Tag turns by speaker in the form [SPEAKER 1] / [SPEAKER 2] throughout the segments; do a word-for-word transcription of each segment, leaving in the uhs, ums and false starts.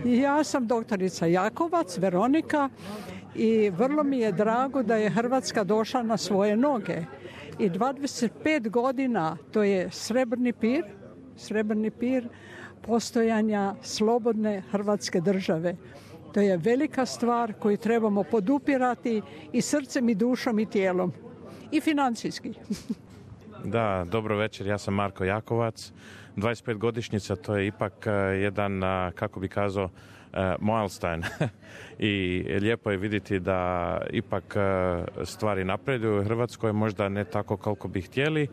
[SPEAKER 1] Ja sam doktorica Jakovac, Veronika, i vrlo mi je drago da je Hrvatska došla na svoje noge. I dvadeset pet godina, to je srebrni pir, srebrni pir postojanja slobodne Hrvatske države. To je velika stvar koju trebamo podupirati i srcem i dušom i tijelom. I financijski.
[SPEAKER 2] Da, dobro večer, ja sam Marko Jakovac. dvadeset pet godišnjica, to je ipak jedan, kako bi kazao, milestone. I lijepo je vidjeti da ipak stvari napreduju u Hrvatskoj, možda ne tako koliko bi htjeli,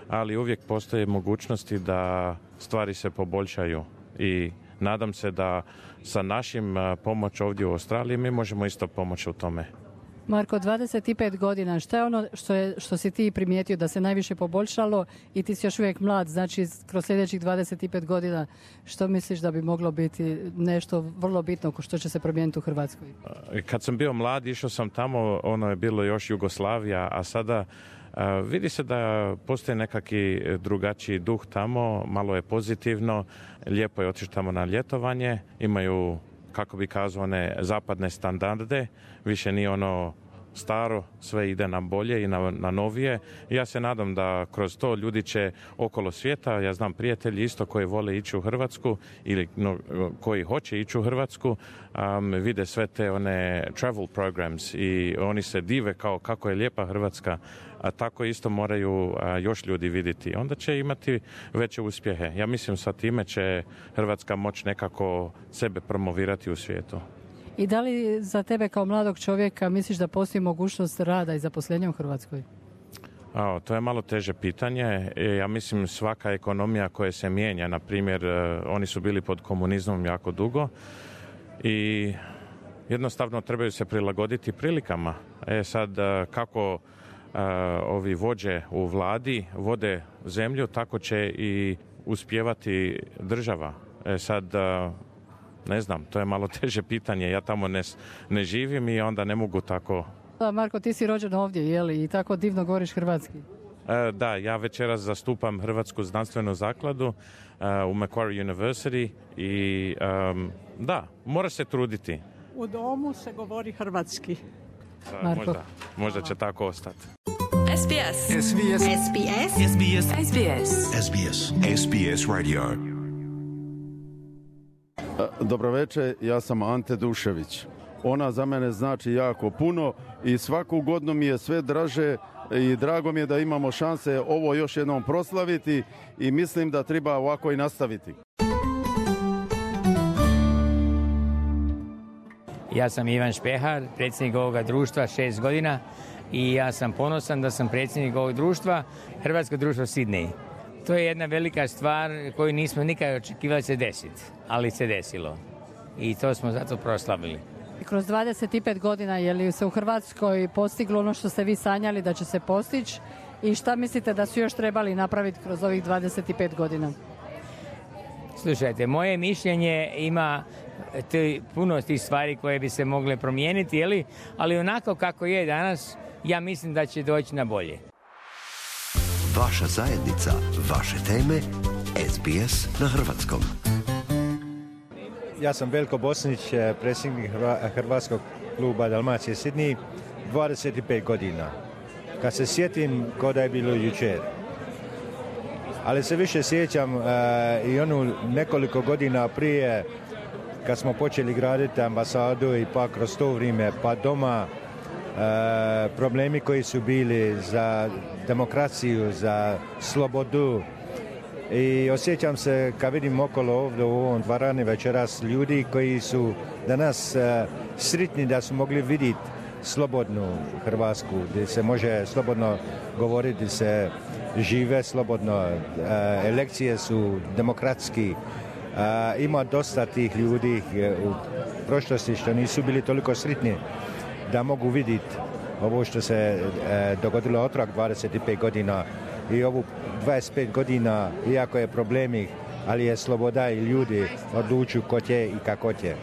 [SPEAKER 2] ali uvijek postoje mogućnosti da stvari se poboljšaju i nadam se da sa našim pomoć ovdje u Australiji mi možemo isto pomoći u tome.
[SPEAKER 3] Marko, dvadeset pet godina, što je ono što, je, što si ti primijetio da se najviše poboljšalo i ti si još uvijek mlad, znači kroz sljedećih dvadeset pet godina, što misliš da bi moglo biti nešto vrlo bitno što će se promijeniti u Hrvatskoj?
[SPEAKER 2] Kad sam bio mlad, išao sam tamo, ono je bilo još Jugoslavija, a sada uh, vidi se da postoji nekakvi drugačiji duh tamo, malo je pozitivno, lijepo je otići tamo na ljetovanje, imaju, kako bi kazao, one zapadne standarde, više nije ono staro, sve ide na bolje i na, na novije. I ja se nadam da kroz to ljudi će okolo svijeta, ja znam prijatelji isto koji vole ići u Hrvatsku ili no, koji hoće ići u Hrvatsku, um, vide sve te one travel programs i oni se dive kao kako je lijepa Hrvatska, a tako isto moraju a, još ljudi vidjeti. Onda će imati veće uspjehe. Ja mislim sa time će Hrvatska moći nekako sebe promovirati u svijetu.
[SPEAKER 3] I da li za tebe kao mladog čovjeka misliš da postoji mogućnost rada i zaposlenja u Hrvatskoj?
[SPEAKER 2] O, to je malo teže pitanje. Ja mislim svaka ekonomija koja se mijenja, na primjer, oni su bili pod komunizmom jako dugo i jednostavno trebaju se prilagoditi prilikama. E sad, kako ovi vođe u vladi vode zemlju, tako će i uspijevati država. E sad, ne znam, to je malo teže pitanje. Ja tamo ne, ne živim i onda ne mogu tako...
[SPEAKER 3] Da, Marko, ti si rođen ovdje, jeli? I tako divno govoriš hrvatski.
[SPEAKER 2] E, da, ja večeras zastupam Hrvatsku znanstvenu zakladu uh, u Macquarie University i um, da, moraš se truditi.
[SPEAKER 1] U domu se govori hrvatski.
[SPEAKER 2] Da, možda, možda će tako ostati.
[SPEAKER 4] S B S. S B S. S B S. S B S. S B S.
[SPEAKER 5] S B S. S B S Radio.
[SPEAKER 6] Dobro večer, ja sam Ante Dušević. Ona za mene znači jako puno i svaku godinu mi je sve draže i drago mi je da imamo šanse ovo još jednom proslaviti i mislim da treba ovako i nastaviti.
[SPEAKER 7] Ja sam Ivan Špehar, predsjednik ovoga društva šest godina i ja sam ponosan da sam predsjednik ovog društva, Hrvatsko društvo Sidney. To je jedna velika stvar koju nismo nikad očekivali se desiti, ali se desilo. I to smo zato proslavili.
[SPEAKER 3] Kroz dvadeset pet godina je li se u Hrvatskoj postiglo ono što ste vi sanjali da će se postići i šta mislite da su još trebali napraviti kroz ovih dvadeset pet godina?
[SPEAKER 7] Slušajte, moje mišljenje ima te, puno tih stvari koje bi se mogle promijeniti, jeli? Ali onako kako je danas, ja mislim da će doći na bolje.
[SPEAKER 5] Vaša zajednica, vaše teme, S B S na hrvatskom.
[SPEAKER 8] Ja sam Veljko Bosnić, predsjednik Hrvatskog kluba Dalmacije Sidney, dvadeset pet godina. Kad se sjetim, ko da je bilo jučer. Ali se više sjećam uh, i onu nekoliko godina prije, kad smo počeli graditi ambasadu i pa kroz to vrijeme, pa doma, uh, problemi koji su bili za demokraciju, za slobodu. I osjećam se kad vidim okolo ovdje u ovom dvorani večeras ljudi koji su danas uh, sretni da su mogli vidjeti slobodnu Hrvatsku, gdje se može slobodno govoriti, gdje se žive slobodno, uh, elekcije su demokratski. Uh, ima dosta tih ljudi u prošlosti što nisu bili toliko sretni da mogu vidjeti ovo što se uh, dogodilo otrag dvadeset pet godina i ovu dvadeset pet godina, iako je problemi, ali je sloboda i ljudi odlučuju ko će i kako će.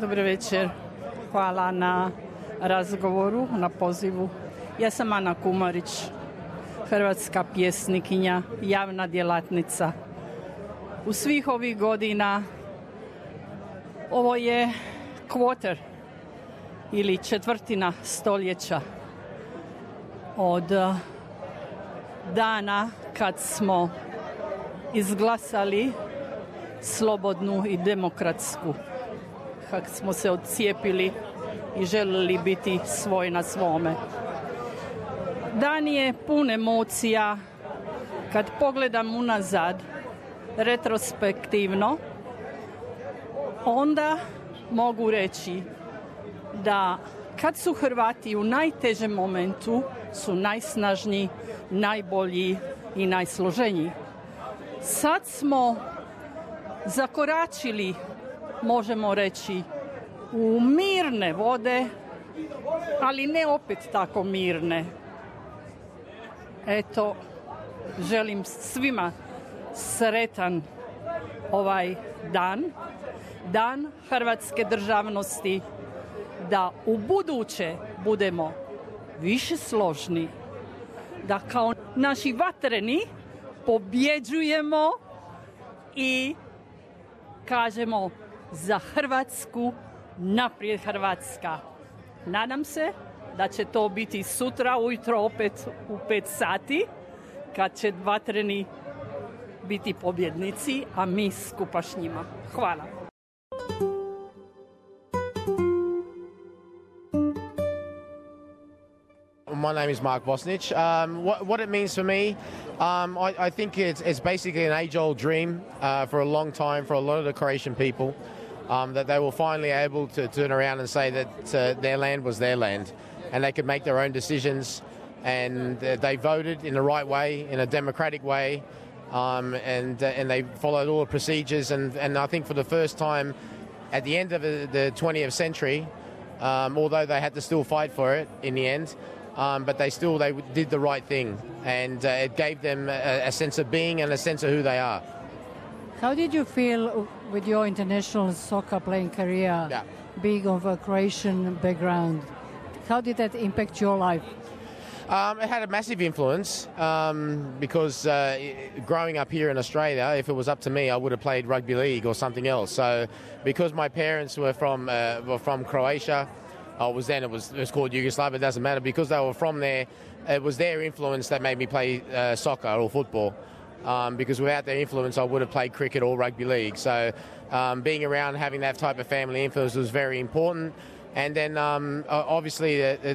[SPEAKER 9] Dobro večer. Hvala na razgovoru, na pozivu. Ja sam Ana Kumarić. hrvatska pjesnikinja, javna djelatnica. U svih ovih godina ovo je kvoter ili četvrtina stoljeća od dana kad smo izglasali slobodnu i demokratsku, kad smo se odcijepili i željeli biti svoj na svome. Dan je pun emocija. Kad pogledam unazad, retrospektivno, onda mogu reći da kad su Hrvati u najtežem momentu su najsnažniji, najbolji i najsloženiji. Sad smo zakoračili, možemo reći, u mirne vode, ali ne opet tako mirne. Eto, želim svima sretan ovaj dan, dan hrvatske državnosti, da u buduće budemo više složni, da kao naši vatreni pobjeđujemo i kažemo za Hrvatsku, naprijed Hrvatska. Nadam se da će to biti sutra ujutro opet u pet sati, kad će vatreni biti pobjednici, a mi skupa s njima. Hvala.
[SPEAKER 10] My name is Mark Bosnich. Um, what, what it means for me, um, I, I think it's, it's basically an age-old dream uh, for a long time for a lot of the Croatian people, um, that they were finally able to turn around and say that uh, their land was their land and they could make their own decisions, and uh, they voted in the right way, in a democratic way, um, and, uh, and they followed all the procedures, and, and I think for the first time at the end of the twentieth century, um, although they had to still fight for it in the end, Um, but they still they did the right thing, and uh, it gave them a, a sense of being and a sense of who they are.
[SPEAKER 3] How did you feel with your international soccer playing career, yeah. being of a Croatian background? How did that impact your life?
[SPEAKER 10] Um, it had a massive influence um, because uh, growing up here in Australia, if it was up to me, I would have played rugby league or something else. So because my parents were from uh, were from Croatia. Oh, it was then, it was, it was called Yugoslavia, it doesn't matter. Because they were from there, it was their influence that made me play uh, soccer or football. Um, because without their influence, I would have played cricket or rugby league. So um, being around, having that type of family influence was very important. And then um, obviously, uh, uh,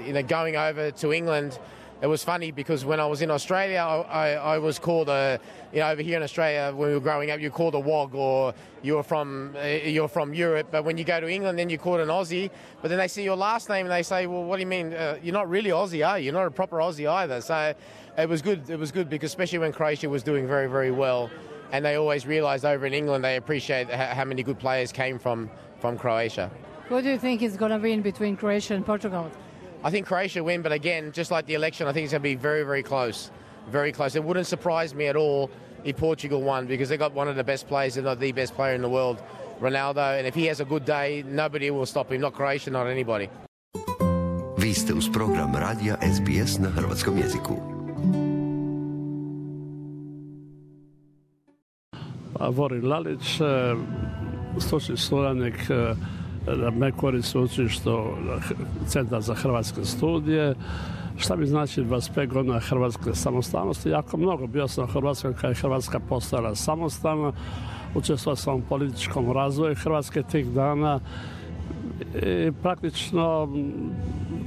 [SPEAKER 10] you know, going over to England, it was funny because when I was in Australia, I, I, I was called a, you know, over here in Australia, when we were growing up, you're called a wog, or you're from uh, you're from Europe. But when you go to England, then you're called an Aussie. But then they see your last name and they say, well, what do you mean? Uh, you're not really Aussie, are you? You're not a proper Aussie either. So it was good. It was good because especially when Croatia was doing very, very well, and they always realised over in England they appreciate how many good players came from from Croatia.
[SPEAKER 3] What do you think is going to win between Croatia and Portugal?
[SPEAKER 10] I think Croatia win, but again, just like the election, I think it's going to be very, very close. Very close. It wouldn't surprise me at all if Portugal won, because they got one of the best players, if not the best player in the world, Ronaldo. And if he has a good day, nobody will stop him. Not Croatia, not anybody.
[SPEAKER 5] Vi ste uz program radija S B S na hrvatskom jeziku.
[SPEAKER 11] Vorin Lalić, stručni suradnik na Mekori sveučilištu Centar za hrvatske studije. Šta mi znači dvadeset pet godina hrvatske samostalnosti? Jako mnogo. Bio sam u Hrvatskoj kada je Hrvatska postala samostalna. Učestvovao sam u političkom razvoju Hrvatske tih dana. I praktično,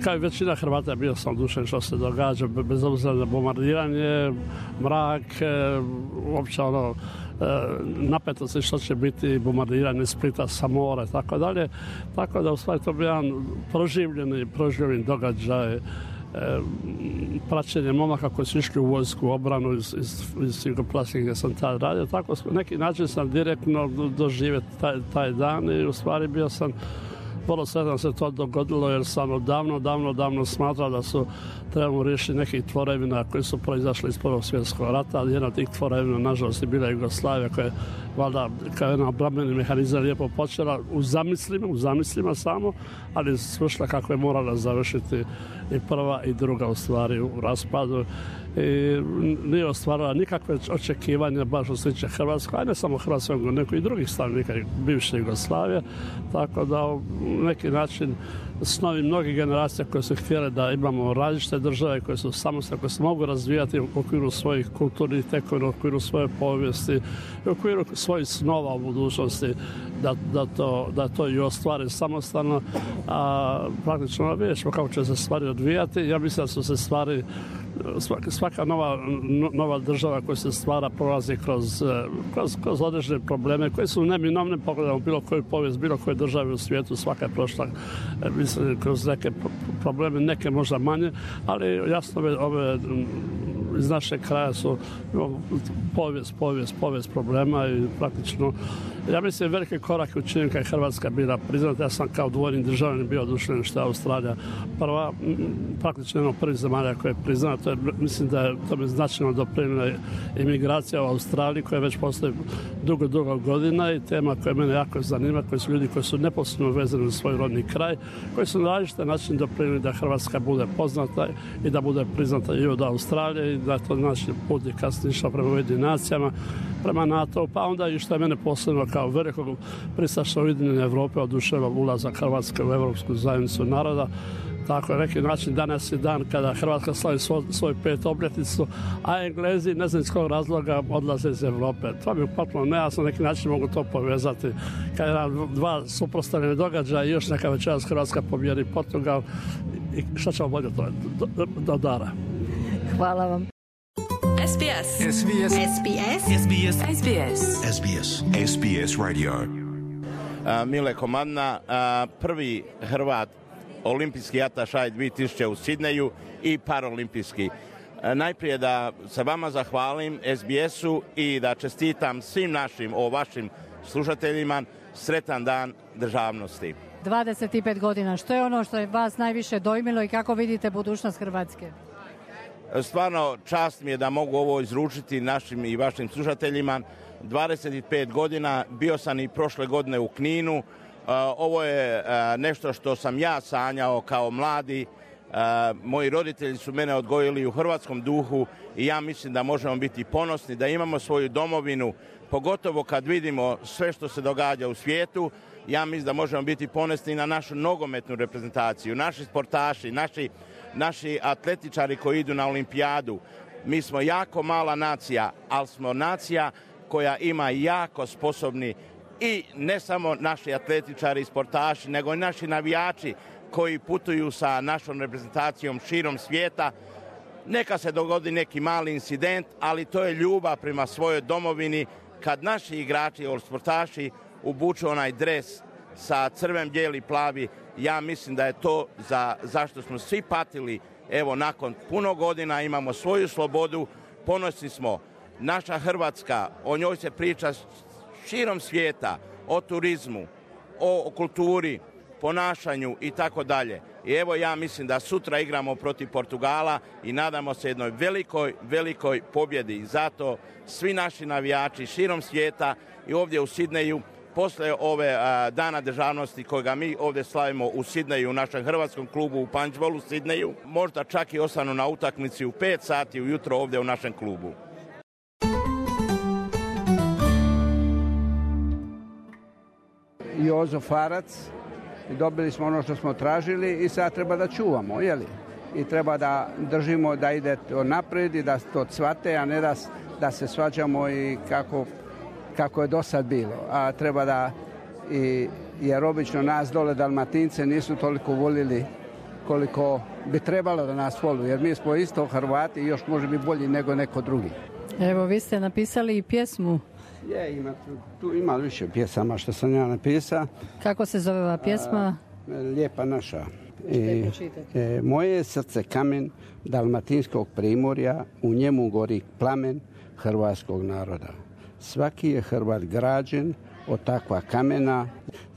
[SPEAKER 11] kao i većina Hrvata, bio sam odušen što se događa, bez obzira na bombardiranje, mrak, uopće ono, napetosti što će biti bombardiranje Splita sa mora i tako dalje. Tako da u stvari to bi jedan proživljeni, proživljeni događaj, praćenje momaka koji su išli u vojsku, obranu iz, iz, iz Jugoslavije gdje sam tad radio. Tako na neki način sam direktno doživio taj, taj dan i u stvari bio sam vrlo sretan se to dogodilo, jer sam odavno, davno, davno smatrao da su trebamo riješiti nekih tvorevina koji su proizašli iz Prvog svjetskog rata, ali jedna od tih tvorevina, nažalost, je bila Jugoslavija, koja je valjda kao jedan obrambeni mehanizam lijepo počela u zamislima, u zamislima samo, ali svršila kako je morala završiti i prva i druga u stvari u raspadu. i nije ostvarila nikakve očekivanja baš što se tiče Hrvatske, a ne samo Hrvatske, nego neko i drugih stanovnika bivše Jugoslavije, tako da u neki način snovi mnogih generacija koje su htjele da imamo različite države koje su samostalne, koje se mogu razvijati u okviru svojih kulturnih tekovina, u okviru svoje povijesti, u okviru svojih snova u budućnosti, da, da, to, da to i ostvare samostalno, a praktično vidjet ćemo kako će se stvari odvijati. Ja mislim da su se stvari Svaka, svaka nova, nova država koja se stvara prolazi kroz, kroz, kroz određene probleme koje su neminovne. Pogledamo bilo koju povijest, bilo koje države u svijetu, svaka je prošla mislim, kroz neke probleme, neke možda manje, ali jasno ove, ove iz našeg kraja su povijest, povijest, povijest problema i praktično ja mislim velike korake učinjen kad je Hrvatska bila priznata. Ja sam kao dvojni državljanin bio oduševljen što je Australija prva, praktično jedno prvih zemalja koja je priznata. To je, mislim da je to bi značajno doprinijela imigracija u Australiji koja već postoji dugo, dugo godina i tema koja mene jako zanima, koji su ljudi koji su neposredno vezani u svoj rodni kraj, koji su na različite način doprinijeli da Hrvatska bude poznata i da bude priznata i od Australije i da to znači put je kasnije išao prema Ujedinim nacijama, prema NATO, pa onda i što je mene posebno kao velikog pristaša Ujedinjene Europe oduševio ulazak Hrvatske u Europsku zajednicu naroda. Tako je neki način danas je dan kada Hrvatska slavi svoj, svoj pet obljetnicu, a Englezi ne znam iz kojeg razloga odlaze iz Europe. To mi je potpuno nejasno, neki način mogu to povezati. Kada nam dva suprotstavljene događaja i još neka večeras Hrvatska pobjedi Portugal i šta ćemo bolje to do, do, do dara.
[SPEAKER 3] Hvala vam.
[SPEAKER 4] S B S. S B S. S B S. S B S. S B S.
[SPEAKER 5] S B S. S B S Radio.
[SPEAKER 12] Uh, Mile Komadna, uh, prvi Hrvat olimpijski atašaj dvije tisuće u Sidneju i paralimpijski. Uh, najprije da se vama zahvalim S B S-u i da čestitam svim našim o vašim slušateljima sretan dan državnosti.
[SPEAKER 3] dvadeset pet godina, što je ono što je vas najviše dojmilo i kako vidite budućnost Hrvatske?
[SPEAKER 12] Stvarno čast mi je da mogu ovo izručiti našim i vašim slušateljima. dvadeset pet godina, bio sam i prošle godine u Kninu. Ovo je nešto što sam ja sanjao kao mladi. Moji roditelji su mene odgojili u hrvatskom duhu i ja mislim da možemo biti ponosni, da imamo svoju domovinu, pogotovo kad vidimo sve što se događa u svijetu. Ja mislim da možemo biti ponosni na našu nogometnu reprezentaciju, naši sportaši, naši naši atletičari koji idu na olimpijadu. Mi smo jako mala nacija, ali smo nacija koja ima jako sposobni i ne samo naši atletičari i sportaši, nego i naši navijači koji putuju sa našom reprezentacijom širom svijeta. Neka se dogodi neki mali incident, ali to je ljubav prema svojoj domovini kad naši igrači ili sportaši obuču onaj dres sa crven, bijeli, plavi. Ja mislim da je to za, zašto smo svi patili. Evo, nakon puno godina imamo svoju slobodu, ponosni smo. Naša Hrvatska, o njoj se priča širom svijeta, o turizmu, o, o kulturi, ponašanju i tako dalje. I evo, ja mislim da sutra igramo protiv Portugala i nadamo se jednoj velikoj, velikoj pobjedi. I zato svi naši navijači širom svijeta i ovdje u Sidneju, posle ove a, dana državnosti kojega mi ovdje slavimo u Sidneju, u našem hrvatskom klubu u Punchbowlu u Sidneju, možda čak i ostanu na utakmici u pet sati ujutro ovdje u našem klubu.
[SPEAKER 13] Jozo Farac, dobili smo ono što smo tražili i sad treba da čuvamo, jeli? I treba da držimo da ide to naprijed i da to cvate, a ne da, da se svađamo i kako kako je do sad bilo, a treba da, i, jer obično nas dole Dalmatince nisu toliko volili koliko bi trebalo da nas volu, jer mi smo isto Hrvati i još može biti bolji nego neko drugi.
[SPEAKER 3] Evo, vi ste napisali i pjesmu.
[SPEAKER 13] Je, ima, tu ima više pjesama što sam ja napisao.
[SPEAKER 3] Kako se zove ova pjesma?
[SPEAKER 13] A, Lijepa naša. E, e, moje je srce kamen dalmatinskog primorja, u njemu gori plamen hrvatskog naroda. Svaki je Hrvat građen od takva kamena,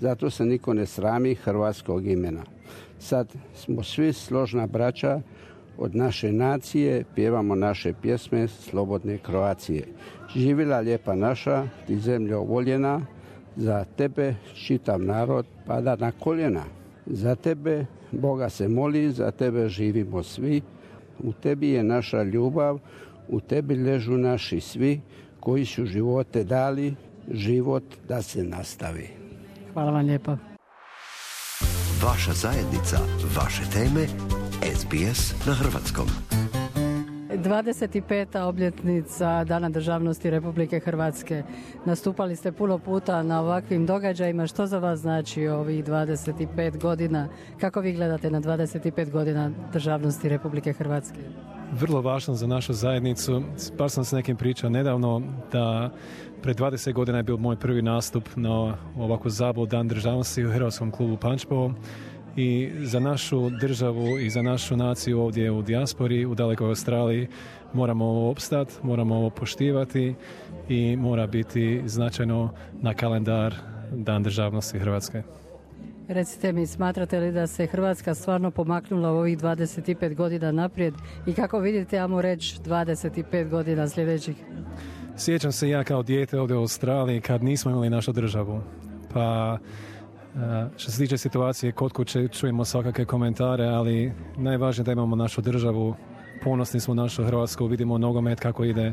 [SPEAKER 13] zato se niko ne srami hrvatskog imena. Sad smo svi složna braća od naše nacije, pjevamo naše pjesme slobodne Kroacije. Živjela lijepa naša, ti zemljo voljena, za tebe čitav narod pada na koljena. Za tebe Boga se moli, za tebe živimo svi, U tebi je naša ljubav, u tebi ležu naši svi koji su živote dali, život da se nastavi.
[SPEAKER 3] Hvala vam lijepa.
[SPEAKER 5] Vaša zajednica, vaše teme, S B S na hrvatskom.
[SPEAKER 3] dvadeset peta obljetnica Dana državnosti Republike Hrvatske. Nastupali ste puno puta na ovakvim događajima. Što za vas znači ovih dvadeset pet godina? Kako vi gledate na dvadeset pet godina državnosti Republike Hrvatske?
[SPEAKER 14] Vrlo važno za našu zajednicu. Baš sam s nekim pričao nedavno da pred dvadeset godina je bio moj prvi nastup na ovakvu zabavu Dan državnosti u Hrvatskom klubu Pančevo. I za našu državu i za našu naciju ovdje u dijaspori, u dalekoj Australiji, moramo ovo opstati, moramo ovo poštivati i mora biti značajno na kalendar Dan državnosti Hrvatske.
[SPEAKER 3] Recite mi, smatrate li da se Hrvatska stvarno pomaknula u ovih dvadeset pet godina naprijed i kako vidite, ajmo reći, dvadeset pet godina sljedećih?
[SPEAKER 14] Sjećam se ja kao dijete ovdje u Australiji kad nismo imali našu državu. Pa što se tiče situacije kod kuće čujemo svakakve komentare, ali najvažnije da imamo našu državu, ponosni smo našu Hrvatsku, vidimo nogomet kako ide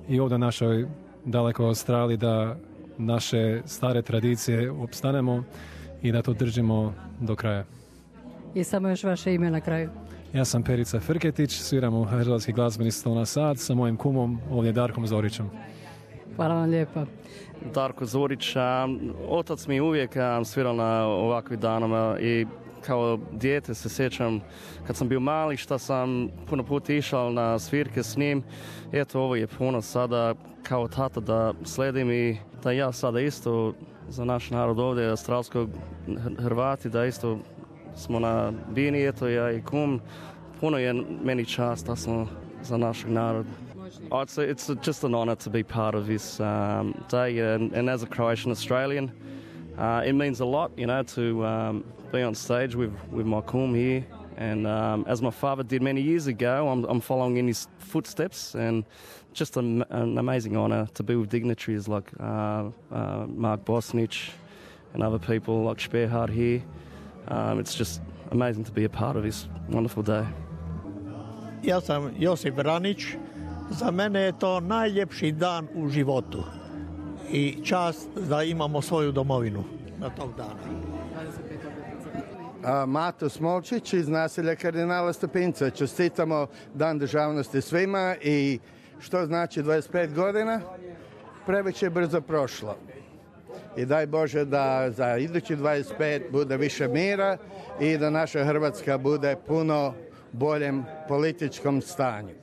[SPEAKER 14] i ovdje u našoj dalekoj Australiji da naše stare tradicije opstanemo i da to držimo do kraja.
[SPEAKER 3] I samo još vaše ime na kraju.
[SPEAKER 14] Ja sam Perica Frketić, sviram u Hrvatski glazbeni stol na sad sa mojim kumom, ovdje Darkom Zorićem.
[SPEAKER 3] Hvala vam lijepa.
[SPEAKER 15] Darko Zorić, a, otac mi uvijek a, svirao na ovakvim danama i kao dijete se sjećam kad sam bio mali šta sam puno puta išao na svirke s njim. Eto, ovo je puno sada kao tata da sledim i da ja sada isto za naš narod ovdje, australskog Hrvati, da isto smo na bini, eto ja i kum. Puno je meni čast da smo za našeg naroda. Oh, it's, a, it's a, just an honour to be part of this um, day, and, and as a Croatian Australian, uh, it means a lot, you know, to um, be on stage with, with my kum here. And um, as my father did many years ago, I'm, I'm following in his footsteps, and just an, an amazing honour to be with dignitaries like uh, uh, Mark Bosnich and other people like Sperhard here. Um, it's just amazing to be a part of this wonderful day.
[SPEAKER 16] Ja sam Josip Vranić. Za mene je to najljepši dan u životu i čast da imamo svoju domovinu na tog dana.
[SPEAKER 17] A, Mato Smolčić iz naselja Kardinala Stepinca. Čestitamo Dan državnosti svima i što znači dvadeset pet godina? Previše je brzo prošlo. I daj Bože da za idući dvadeset pet bude više mira i da naša Hrvatska bude puno boljem političkom stanju.